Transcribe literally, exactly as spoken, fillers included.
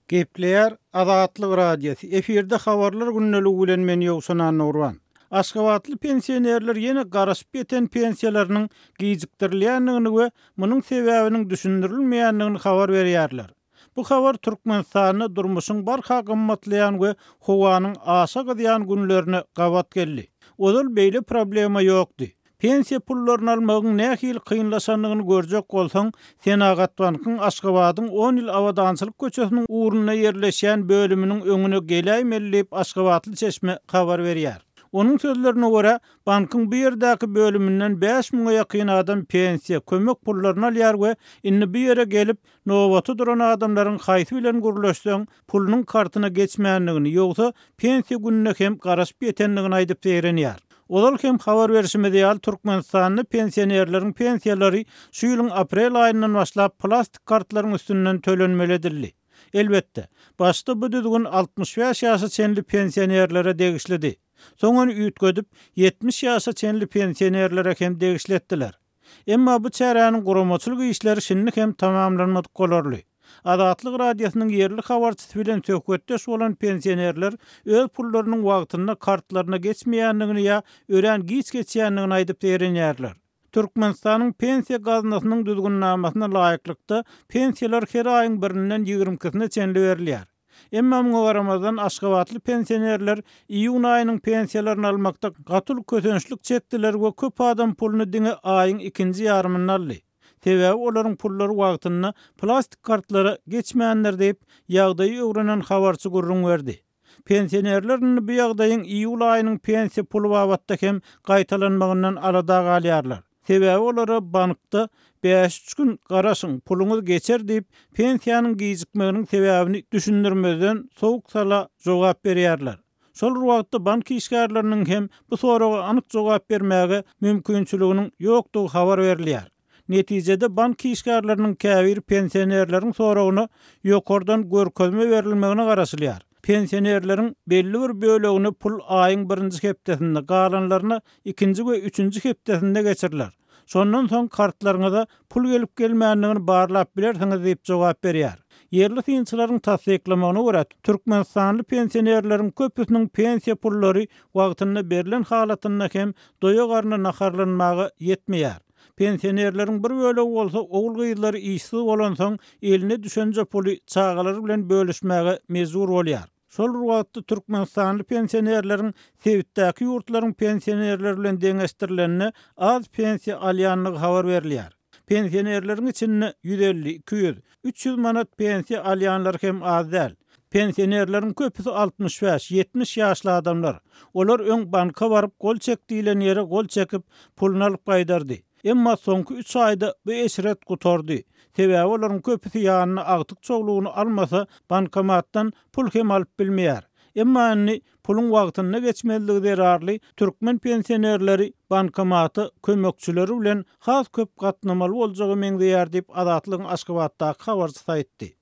Gepleýär Azatlyk Radiosy. Efirde habarlar gündeligi bilen men Ýowşan Annagurban. Aşgabatly pensionerler ýene garaşyp ýeten pensiýalarynyň gijikdirilýändigini we munuň sebäbiniň düşündirilmeýändigini habar berýärler. Bu habar Türkmenistanda durmuşyň barha gymmatlaýan we howanyň aşa gyzýan günlerine gabat geldi. Ozal beýle problema ýokdy. Pensiýa pullaryny almagyň nähili kynlaşandygyny görjek bolsaň, Senagat bankyň Aşgabadyň on ýyl abadançylyk köçesiniň ugrunda ýerleşýän bölüminiň öňüne geläýmeli diýip aşgabatly çeşme habar berýär. Onuň sözlerine görä, bankyň bu ýerdäki bölüminden bäş müňe ýakyn adam pensiýa, kömek pullaryny alýar we indi bu ýere gelip, nobata duran adamlaryň haýsy bilen gürleşseň, pulunyň kartyna geçmändigini, ýogsa pensiýa gününe hem garaşyp ýetendigini aýdyp zeýrenýär. Ozal hem habar berşimiz ýaly, Türkmenistanda pensionerleriň pensiýalary şu ýylyň aprel aýyndan başlap plastik kartlaryň üstünden tölenmeli edildi. Elbetde, başda bu düzgün altmyş bäş ýaşa çenli pensionerlere degişlidi. Soň ony üýtgedip, ýetmiş ýaşa çenli pensionerlere hem degişli etdiler. Emma bu çäräniň guramaçylyk işleri şindi hem tamamlanmadyk bolarly. Azatlyk Radiosynyň ýerli habarçysy bilen söhbetdeş bolan pensionerler öz pullarynyň wagtynda kartlaryna geçmeýändigini ýa örän giç geçýändigini aýdyp zeýrenýärler. Türkmenistanyň pensiýa gaznasynyň düzgünnamasyna laýyklykda pensiýalar her aýyň birinden ýigrimi ikisine çenli berilýär. Emma muňa garamazdan aşgabatly pensionerler iýun aýynyň pensiýalaryny almakda gaty uly kösençlik çekdiler we köp adam puluny diňe aýyň ikinji ýarymynda aldy. Sebäbi olaryň pullary wagtynda plastik kartlara geçmändir diýip, ýagdaýy öwrenen habarçy gürrüň berdi. Pensionerler indi bu ýagdaýyň iýul aýynyň pensiýa puly babatda hem gaýtalanmagyndan alada galýarlar. Sebäbi olara bankda bäş-üç gün garaşyň, puluňyz geçer diýip, pensiýanyň gijikmeginiň sebäbini düşündirmezden sowuk sala jogap berýärler. Şol bir wagtda bank işgärleriniň hem bu soraga anyk jogap bermäge mümkinçiliginiň ýokdugy habar berilýär. Netijede bank işgärleriniň käbir pensionerleriň soragyna ýokardan görkezme berilmegine garaşylýar. Pensionerleriň belli bir bölegini pul aýyň birinji hepdesinde, galanlaryna ikinji we üçünji hepdesinde geçiriler. Şondan soň kartlaryňyza pul gelip gelmändigini barlap bilersiňiz diýip jogap berýär. Ýerli synçylaryň tassyklamagyna görä, Türkmenistanly pensionerleriň köpüsiniň pensiýa pullary wagtynda berlen halatynda hem doýa garny naharlanmaga ýetmeýär. Pensionerleriň bir bölegi bolsa ogul-gyzlary işsiz bolansoň eline düşenje puly çagalary bilen bölüşmäge mejbur bolýar. Şol bir wagtda Türkmenistanly pensionerleriň sebitdäki ýurtlaryň pensionerleri bilen deňeşdirilende az pensiýa alýandygy habar berilýär. Pensionerleriň içinde ýüz elli, iki ýüz, üç ýüz manat pensiýa alýanlar hem az däl. Pensionerleriň köpüsi altmyş bäş, ýetmiş ýaşly adamlar. Olar öň banka baryp gol çek diýlen ýere gol çekip puluny alyp gaýdardy. Emma soňky üç aýda bu eşret gutardy. Sebäbi olaryň köpüsi ýanyna agtyk çoglugyny almasa bankomatdan pul hem alyp bilmeýär. Emma indi puluň wagtynda geçmezligi zerarly türkmen pensionerleri bankomata kömekçileri bilen has köp gatnamaly boljagy meňzeýär diýip Azatlygyň Aşgabatdaky habarçysy aýtdy.